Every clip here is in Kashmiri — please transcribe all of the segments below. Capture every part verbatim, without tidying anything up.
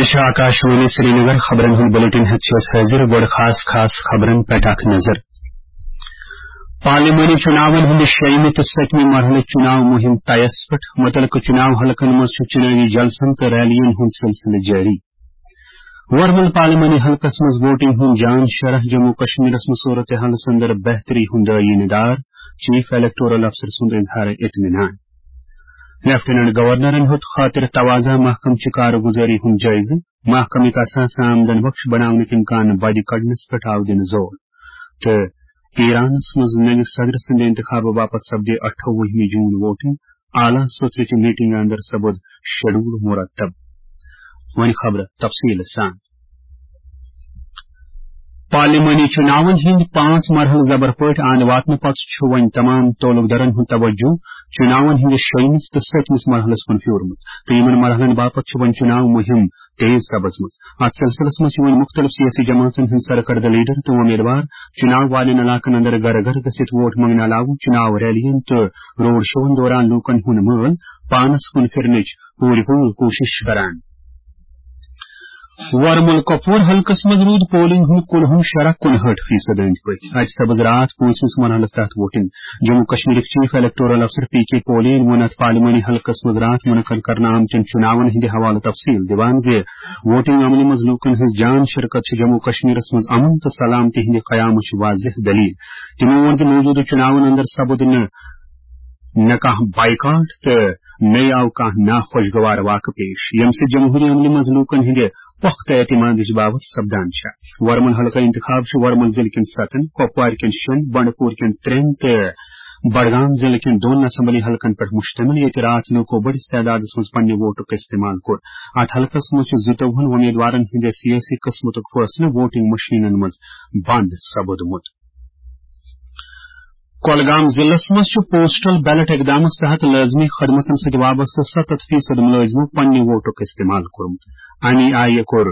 یہِ چھِ آکاشوانی سرینگر۔ خبرن ہُنٛد بلیٹن ہٮ۪تھ چھِ أسۍ حٲضِر۔ گۄڈٕ خاص خاص خبرن پٮ۪ٹھ اکھ نظر۔ پارلیمانی چُناون ہٕنٛدِ شیٚیِمہِ تہٕ سٔتمہِ مرحلٕچ چُناو مُہِم طیس پٮ۪ٹھ۔ مُتعلقہٕ چُناو حلقن منٛز چھُ چُنٲوی جلسن تہٕ ریلین ہُنٛد سلسلہٕ جٲری۔ ورمُل پارلیمانی حلقس منٛز ووٹنگ ہُنٛد جان شرح۔ جموں کشمیرس منٛز صورتحالس اندر بہتری ہُنٛد عٲییٖنہٕ دار، چیف الیکٹورل افسر سُنٛد اظہار اطمینان۔ لیفٹیننٹ گورنرن ہیوٚت خاطر توازہ محکمہٕ چہِ کارگزاری ہُنٛد جٲیزٕ۔ محکمٕکۍ اثاثہٕ آمدن بخش بناونٕکۍ امکان بدِ کڑنس پٮ۪ٹھ آو دِنہٕ زور۔ تہٕ ایرانس منٛز نٔوِس صدر سٕنٛدِ انتخابہٕ باپتھ سپدِ اَٹھووُہمہِ جوٗن ووٹنگ۔ اعلیٰ سوٚترٕچہِ میٹنگہِ اندر سپُد شیڈول مرتب۔ وۄنۍ خبرٕ تفصیٖل سان۔ پارلیمانی چُناون ہٕنٛدۍ پانٛژھ مرحلہٕ زبر پٲٹھۍ اَنٛد واتنہٕ پتہٕ چھُ وۄنۍ تمام تعلق دارن ہُنٛد توجہ چُناون ہٕنٛدِس شیٚیِمِس تہٕ سٔتمِس مرحلس کُن پھیورمُت تہٕ یِمن مرحلن باپتھ چھُ وۄنۍ چُناو مُہِم تیز سپٕزمٕژ۔ اتھ سلسلس منٛز چھِ وۄنۍ مُختٔلِف سیٲسی جماعژن ہٕنٛدۍ سرکردٕ لیڈر تہٕ وۄمیدوار چُناو والٮ۪ن علاقن اندر گرٕ گرٕ گٔژھِتھ ووٹ منگنہٕ علاوٕ چُناو ریلین تہٕ روڈ شوون دوران لوٗکن ہُنٛد مٲل پانس کُن پھِرنٕچ پوٗرٕ پوٗرٕ کوٗشِش کران۔ ورمُل کۄپوور حلقس منٛز روٗد پولنگ ہُنٛد کُلہُم شرح کُنہٲٹھ فیصد أنٛدۍ پٔکۍ۔ اَتہِ سپٕز راتھ پٲنٛژمِس مرحلس تحت ووٹنگ۔ جموں کشمیرٕکۍ چیف الیکٹورل افسر پی کے پولین ووٚن اَتھ پارلیمانی حلقس منٛز راتھ منعقد کرنہٕ آمتٮ۪ن چُناون ہٕنٛدِ حوالہٕ تفصیٖل دِوان زِ ووٹنگ عملہِ منٛز لوٗکن ہٕنٛز جان شرکت چھِ جموں کشمیرس منٛز امن تہٕ سلامتی ہٕنٛدِ قیامٕچ واضح دٔلیٖل۔ تِمو ووٚن زِ موٗجوٗدٕ چُناون اندر سپُد نہٕ نہ کانٛہہ بائیکاٹ تہٕ نہ آو کانٛہہ ناخوشگوار واقعہٕ پیش، ییٚمہِ سۭتۍ جمہوٗری عملہِ منٛز لوٗکن ہٕنٛدِ پۄختہٕ اعتمادٕچ باوتھ سپدان چھےٚ۔ ورمُل حلقہٕ انتخاب چھُ ورمُل ضلعہٕ کٮ۪ن ستن، کۄپوارِ کٮ۪ن شیٚن، بنڈٕ پوٗر کٮ۪ن ترٛٮ۪ن تہٕ بڈگام ضلعہٕ کٮ۪ن دۄن اسمبلی حلقن پٮ۪ٹھ مشتمل، ییٚتہِ راتھ لوٗکو بٔڑِس تعدادس منٛز پننہِ ووٹُک استعمال کوٚر۔ اتھ حلقس منٛز چھُ زٕتووُہن وۄمیدوارن ہٕنٛدِ سیٲسی قٕسمتُک فٲصلہٕ ووٹنگ مشینن منٛز بند سپُدمُت۔ کۄلگام ضلعس منٛز چھُ پوسٹل بیلٹ اقدامس تحت لٲزمی خدمژن سۭتۍ وابستہٕ ستتھ فیصد مُلٲزمو پننہِ ووٹُک استعمال کوٚرمُت۔ اَمی آیہِ کوٚر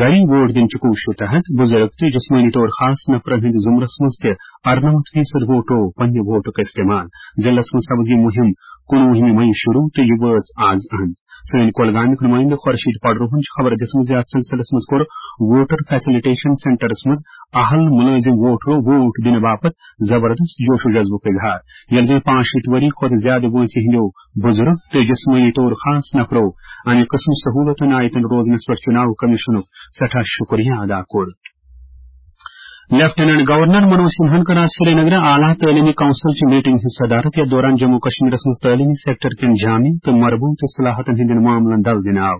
گری ووٹ دِنہٕ چہِ کوٗششہِ تحت بُزرگ تہٕ جسمٲنی طور خاص نفرن ہٕنٛدِس زُمرس منٛز تہِ ارنمتھ فیصد ووٹو پننہِ ووٹُک استعمال۔ ضلعس منٛز سپٕز یہِ مُہِم کُنوُہمہِ مئی شروع تہٕ یہِ وٲژ آز اند۔ سٲنۍ کۄلگامیُک نُمٲیندٕ خورشید پڈروہن چھِ خبر دِژمٕژ زِ اتھ سلسلس منٛز کوٚر ووٹر فیسلٹیشن سینٹرس منٛز اہل مُلٲزِم ووٹرو ووٹ دِنہٕ باپتھ زبردست جوش و جذبُک اظہار، ییٚلہِ زَن پانٛژھ شیٖتھ ؤری کھۄتہٕ زیادٕ وٲنٛسہِ ہٕنٛدیو بُزرگ تہٕ جسمٲنی طور خاص نفرو امہِ قٕسمہٕ سہوٗلتن آیتن روزنس پٮ۪ٹھ چُناو کمیشنُک سٮ۪ٹھاہ شُکریہ ادا کوٚر۔ لیفٹیننٹ گورنر منوج سنہاہن کٔر آز سرینگرٕ اعلیٰ تعلیمی کونسل چہِ میٹنگ ہٕنٛز صدارت، یتھ دوران جموں کشمیرس منٛز تعلیمی سیکٹر کٮ۪ن جامع تہٕ مربوط اصلاحاتن ہٕنٛدٮ۪ن معاملن دل دِنہٕ آو۔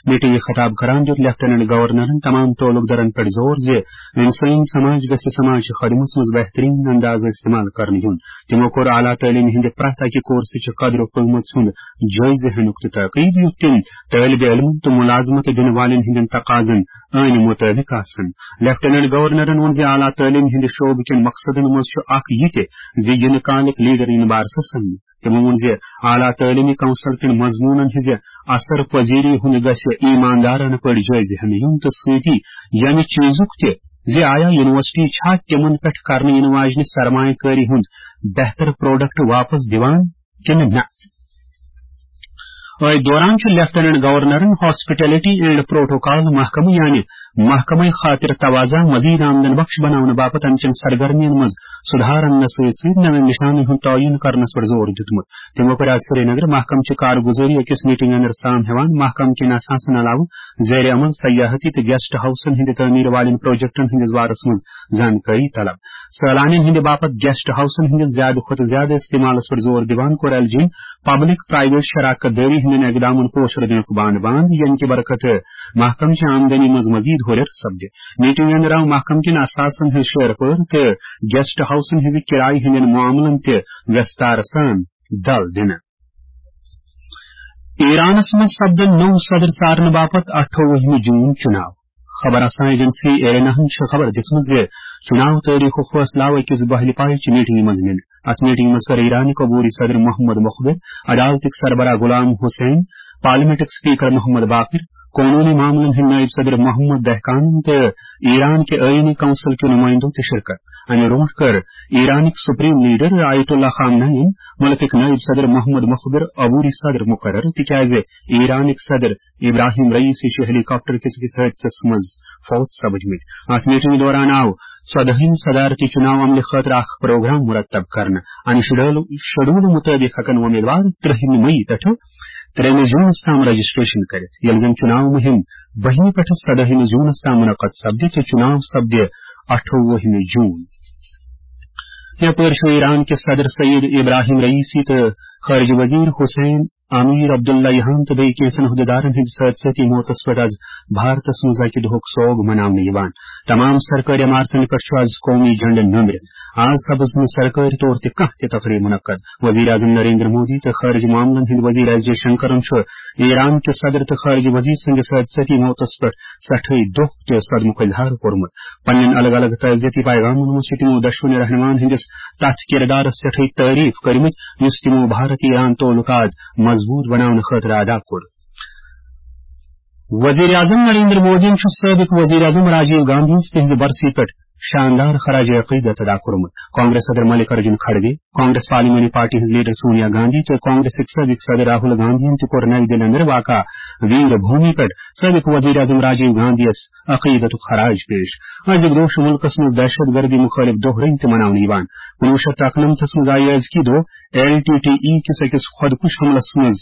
میٹنگ خطاب کران دیُت لیفٹیننٹ گورنرن تمام تعلق دارن پٮ۪ٹھ زور زِ انسٲنی سماج گژھِ سماج چہِ خدمژ منٛز بہترین اندازٕ استعمال کرنہٕ یُن۔ تِمو کوٚر اعلیٰ تعلیٖم ہٕنٛدِ پرٛٮ۪تھ اکہِ کورسہٕ چہِ قدر و قۭمژ ہُنٛد جٲیزٕ ہینُک تہِ تاکید، یُتھ تِم طٲلبِ علمن تہٕ مُلازمت دِنہٕ والٮ۪ن ہٕنٛدٮ۪ن تقاضن عٲنہِ مُطٲبِق آسن۔ لیفٹیننٹ گورنرن ووٚن زِ اعلیٰ تعلیٖم ہٕنٛدِ شعبہٕ کٮ۪ن مقصدن منٛز چھُ اکھ یہِ تہِ زِ یِنہٕ کالٕکۍ لیڈر یِن بارسس سمنہٕ۔ تِمو ووٚن زِ اعلیٰ تعلیمی کونسل کٮ۪ن مضموٗنن ہٕنٛزِ اثر پذیری ہُنٛد گژھِ ایماندارانہٕ پٲٹھۍ جٲیزٕ ہینہٕ یُن تہٕ سۭتی ییٚمہِ چیٖزُک تہِ زِ آیا یونیورسٹی چھا تِمن پٮ۪ٹھ کرنہٕ یِنہٕ واجنہِ سرمایہ کٲری ہُنٛد بہتر پروڈکٹ واپس دِوان کِنہٕ نہ۔ أتھۍ دوران چھُ لیفٹیننٹ گورنرن ہاسپٹلٹی اینڈ پروٹوکال محکمہٕ یعنی محکمہٕ خاطر توازہ مزید آمدن بخش بناونہٕ باپتھ امہِ چٮ۪ن سرگرمین منٛز سُدھار اننس سۭتۍ سۭتۍ نوٮ۪ن نشانن ہُنٛد تعین کرنس پٮ۪ٹھ زور دیُتمُت۔ تِمو کٔر آز سرینگرٕ محکمہٕ چہِ کارگُزٲری أکِس میٹنگ اندر سام ہٮ۪وان محکمہٕ کٮ۪ن اثاثن علاوٕ زیر عمل سیاحتی تہٕ گیسٹ ہاؤسن ہٕنٛدِ تعمیٖر والٮ۪ن پروجیکٹن ہٕنٛدِس بارس منٛز زانکٲری طلب۔ سٲلانٮ۪ن ہٕنٛدِ باپتھ گیسٹ ہاؤسن ہٕنٛدِس زیادٕ کھۄتہٕ زیادٕ استعمالس پٮ۪ٹھ زور دِوان کوٚر ایل جی پبلک پرائیویٹ شراکت دٲری ہٕنٛدٮ۪ن اقدامن پوچھر دِنُک بانہٕ بنٛد، ییٚمہِ کہِ برکتہٕ محکمہٕ چہِ آمدنی منٛز مزید ہُرٮ۪ر سپدِ۔ میٹنگ اندر آو محکمہٕ کٮ۪ن اثاثن ہٕنٛز شیر پٲر تہٕ گیسٹ ہاؤسن ہٕنٛزِ کرایہِ ہٕنٛدٮ۪ن معاملن تہِ وستار سان دل دِنہٕ۔ ایرانس منٛز سپدن نوٚو صدر ژارنہٕ باپتھ اَٹھووُہمہِ جوٗن چُناو۔ خبر رساں ایجنسی ایرنا ہن چھِ خبر دِژمٕژ زِ چُناو تٲریخُک فٲصلہٕ آو أکِس بہلہِ پایہِ چہِ میٹنگہِ منٛز نِنہٕ۔ اَتھ میٹنگہِ منٛز کٔر ایرانٕکۍ عبوری صدر محمد مخبر، عدالتٕکۍ سربراہ غلام حسین، پارلیمنٹٕکۍ سپیکر محمد باقر، قونوٗنی معاملن ہٕنٛدۍ نٲیِب صدر محمد دہقانن تہٕ ایران کہِ آئینی کونسل کیو نُمٲیندو تہِ شرکت۔ امہِ برونٛٹھ کٔر ایرانٕکۍ سپریم لیڈر آیت اللہ خامنہ یَن مُلکٕکۍ نٲیِب صدر محمد مخبر عبوری صدر مقرر، تِکیازِ ایرانٕکۍ صدر ابراہیم رئیسی چھِ ہیلی کاپٹر کِس أکِس حٲدثس منٛز فوت سپٕدمٕتۍ۔ اتھ میٹنگ دوران آو ژۄدہمہِ صدارتی چُناو عملہِ خٲطرٕ اکھ پروگرام مرتب کرنہٕ۔ امہِ شیڈول، شیڈول مُطٲبِق ہٮ۪کن وۄمیدوار ترٛہمہِ مئی پٮ۪ٹھٕ ترٛیٚیمہِ جوٗنَس تام رجسٹریشن کٔرِتھ، ییٚلہِ زن چُناو مُہِم بَہِمہِ پٮ۪ٹھٕ سَدٲہِمہِ جوٗنَس تام منعقد سپدِ تہٕ چُناو سپدِ اَٹھووُہمہِ جوٗن۔ یپٲرۍ چھُ ایران کِس صدر سید ابراہیم رئیسی تہٕ خارجہ وزیر حسین امیر عبداللہ یہان تہٕ بیٚیہِ کینٛژن عہدیدارن ہٕنٛدِس حٲدثٲتی موتس پٮ۪ٹھ از بھارتس منٛز اکہِ دۄہُک سوگ مناونہٕ یِوان۔ تمام سرکٲرۍ عمارتن پٮ۪ٹھ چھُ از قومی جھنڈٕ نوٚمرِتھ۔ از سپٕز نہٕ سرکٲرۍ طور تہِ کانٛہہ تہِ تقریب منعقد۔ وزیر اعظم نریندر مودی تہٕ خارجہ معاملن ہٕنٛدۍ وزیر ایس جے شنکرن چھُ ایران کِس صدر تہٕ خارجہ وزیر سٕنٛدِس حٲدثٲتی موتس پٮ۪ٹھ سٮ۪ٹھٕے دۄکھ تہٕ صدمُک اظہار کوٚرمُت۔ پننٮ۪ن الگ الگ تعزیتی پیغامن منٛز چھِ تِمو دۄشوٕنی رہنماہن ہٕنٛدِس تتھ کردارس سٮ۪ٹھٕے تعریف کٔرمٕتۍ، یُس تِمو بھارت ایران تعلقات مضبوط بناونہٕ خٲطرٕ ادا کوٚر۔ وزیر اعظم نریندر مودیَن چھُ سٲبق وزیر اعظم راجیو گاندھی یَس تِہنٛزِ برسی پٮ۪ٹھ شاندار خراج عقیدت ادا کوٚرمُت۔ کانگریس صدر ملک ارجن کھڑگے، کانگریس پارلیمانی پارٹی ہٕنٛز لیڈر سونیا گاندھی تہٕ کانگریسٕکۍ سٲبق صدر راہل گاندھی یَن تہِ کوٚر نئی دِلہِ اندر واقع ویر بھومی پٮ۪ٹھ سٲبق وزیر اعظم راجیو گاندھی یَس عقیدتُک خراج پیش۔ أزیُک دۄہ چھُ مُلکَس منٛز دہشت گردی مُخٲلِف دۄہ رٔنگۍ تہِ مناونہٕ یِوان۔ کُنوُہ شیٚتھ تہٕ اَکنَمتھَس منٛز آیہِ أزکی دۄہ ایل ٹی ٹی ای کِس أکِس خۄدکُش حملَس منٛز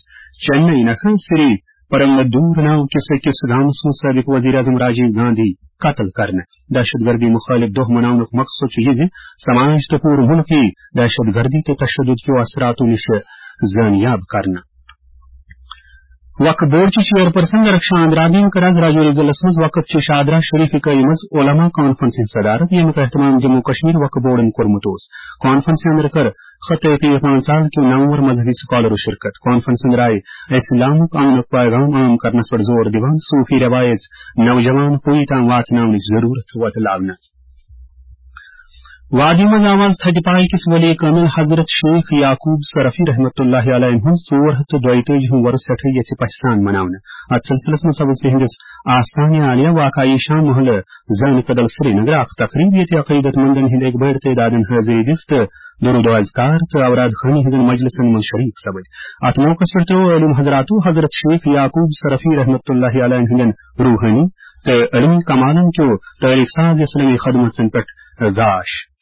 چنئی نکھٕ سری پرنگدور ناو کِس أکِس گامَس منٛز سٲبق وزیر اعظم راجیو گاندھی قتل کرنہٕ۔ دہشت گردی مُخٲلِف دۄہ مناونُک مقصد چھُ یہِ زِ سماج تہٕ پوٗرٕ مُلک یِیہِ دہشت گردی تہٕ تشدد کیو اثراتو نِش زٲنیاب کرنہٕ۔ وقف بورڈ چہِ چیئرپرسن رکشا اندرابی کٔر از راجوری ضلعس منٛز وقف چہِ شادرا شریف اکٲیی منٛز علماء کانفرنس ہٕنٛز صدارت، ییٚمیُک اہتمام جموں کشمیر وقف بورڈن کوٚرمُت اوس۔ کانفرنس اندر کٔر خطے پیر پانژال کیو نامور مذہبی سکالرو شرکت۔ کانفرنس اندر آیہِ اسلامُک امنُک پیغام عام کرنس پٮ۪ٹھ زور دِوان صوفی روایژ نوجوان پُیہِ تام واتناونٕچ ضرورت وۄتلاونہٕ۔ وادی منٛز آو از تھدِ پایہِ کِس ولی کٲمِل حضرت شیخ یعقوب صرفی رحمتہ اللہ علیہ ہُنٛد ژور ہتھ تہٕ دۄیتٲجی ہُم وۄرُس سٮ۪ٹھٕے یژھِ پژھِ سان مناونہٕ۔ اتھ سلسلس منٛز سپٕز تِہنٛدِس آستانہِ عالیہ واقع عیشان محلہٕ زٲنہٕ کدل سرینگر اکھ تقریب، ییٚتہِ عقیدت مندن ہٕنٛدۍ اکہِ بٔڑۍ تعدادن حٲضری دِژ تہٕ درود و اذکار تہٕ اوراد خوانی ہٕنٛزن مجلسن منٛز شریک سپٕدۍ۔ اتھ موقعس پٮ۪ٹھ ترٲو عٲلم حضراتو حضرت شیخ یعقوب صرفی رحمتہ اللہ علیہ ہٕنٛدٮ۪ن روحٲنی تہٕ علمی کمالن کیو تٲریخ ساز اسلامی خدمژن پٮ۪ٹھ گاش۔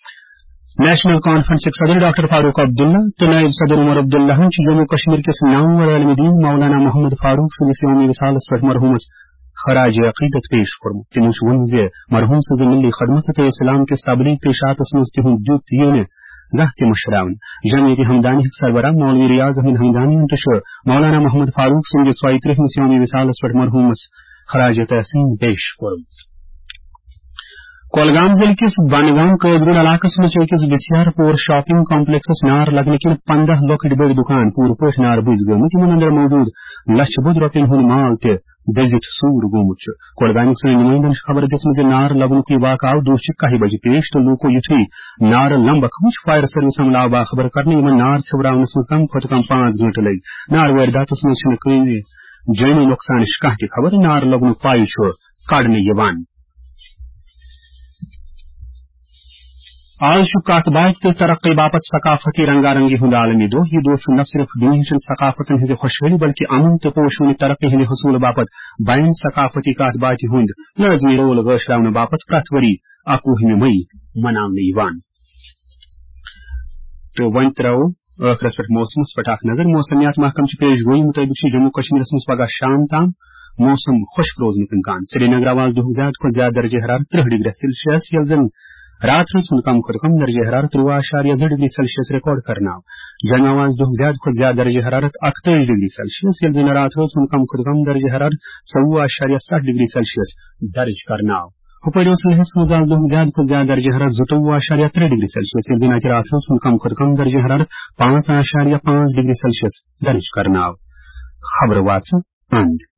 نیشنل کانفرنسٕکۍ صدر ڈاکٹر فاروق عبداللہ تہٕ نائب صدر عمر عبداللہن چھِ جموں کشمیر کِس نامور عالمِ دین مولانا محمد فاروق سٕنٛدِس یومِ وصالس پٮ۪ٹھ مرحوٗمس خراج عقیدت پیش کوٚرمُت۔ تِمو چھُ ووٚنمُت زِ مرحوٗم سٕنٛزِ ملی خدمژ تہٕ اسلام کِس تبلیغ تہٕ اشاعتس منٛز تِہُنٛد دیُت یِیہِ نہٕ زانٛہہ تہِ مٔشراونہٕ۔ جمعیت ہمدانیُک سربراہ مولوی ریاض احمد ہمدانین تہِ چھُ مولانا محمد فاروق سٕنٛدِس ژۄیہِ ترٕٛہمِس یومِ وصالس پٮ۪ٹھ مرحوٗمس خراج تحسین پیش کوٚرمُت۔ کۄلگام ضلعہٕ کِس بنگام قٲضۍ گُنڈ علاقس منٛز چھِ أکِس بسیار پور شاپنگ کمپلیکسس نار لگنہٕ کِنۍ پنٛداہ لۄکٕٹۍ بٔڑۍ دُکان پوٗرٕ پٲٹھۍ نارٕ بٕجۍ گٔمٕتۍ، یِمن اندر موجود لچھِ بوٚد رۄپین ہُنٛد مال تہِ دٔزِتھ سوٗر گوٚمُت چھُ۔ کۄلگامیُک سٲنۍ نُمٲیندن چھِ خبر دِژمٕژ زِ نار لگنُک یہِ واقعہٕ آو دۄہچہِ کاہہِ بجہِ پیش تہٕ لوٗکو یُتھُے نارٕ لمبکھ وٕچھ، فایَر سٔروِس عملہٕ آو باخبر کرنہٕ۔ یِمن نار ژھیوراونس منٛز کم کھۄتہٕ کم پانٛژھ گٲنٛٹہٕ لٔگۍ۔ نار وٲرۍ داتس منٛز چھِنہٕ کٲنٛسہِ جٲنی نۄقصانٕچ کانٛہہ تہِ خبر۔ نار لگنُک پایہِ چھُ کڑنہٕ یِوان۔ آز چھُ کتھ باتھ تہٕ ترقی باپتھ ثقافتی رنگا رنگی ہُنٛد عالمی دۄہ۔ یہِ دۄہ چھُ نہ صرف دُنیاہچن ثقافتن ہٕنٛزِ خۄشحٲلی بلکہِ امن تہٕ پوشوٕنہِ ترقی ہٕنٛدِ حصوٗلہٕ باپتھ بین ثقافتی کتھ باتھِ ہُنٛد لٲزمی رول گٲشراونہٕ باپتھ پرٛٮ۪تھ ؤری اَکوُہمہِ مئی مناونہٕ یِوان۔ تہٕ وۄنۍ ترٛاوو ٲخرس پٮ۪ٹھ موسمس پٮ۪ٹھ اکھ نظر۔ موسمیات محکمہٕ چہِ پیش گویی مُطٲبِق چھُ جموں کشمیرس منٛز پگاہ شام تام موسم خۄشک روزنُک امکان۔ سرینگر آو آز دُہُک زیادٕ کھۄتہٕ زیادٕ درجہ حرارت ترٕٛہ ڈگری سیلسیس، ییٚلہِ زن راتھ رٲژ ہُنٛد کم کھۄتہٕ کم درجہ حرارت ترٛوُہ اعشاریہ زٕ ڈگری سیلسیس ریکارڈ کرنہٕ آو۔ جوٚمہِ آو آز دُہُک زیادٕ کھۄتہٕ زیادٕ درجہ حرارت اکتٲجی ڈگری سیلسیس، ییٚلہِ زن راتھ رٲژ ہُنٛد کم کھۄتہٕ کم درجہ حرارت ژوٚوُہ اعشاریہ ستھ ڈگری سیلسیس درج کرنہٕ آو۔ ہُپٲرۍ اوس لیہس منٛز آز دۄہُک زیادٕ کھۄتہٕ زیادٕ درجہ حرارت زٕتووُہ اعشاریہ ترٛےٚ ڈگری سیلسیس، ییٚلہِ زن اتہِ راتھ رٲژ ہُنٛد کم کھۄتہٕ کم درجہ حرارت پانٛژھ اعشاریہ پانٛژھ ڈگری سیلسیس درج کرنہٕ آو۔ خبرٕ واژٕ اند۔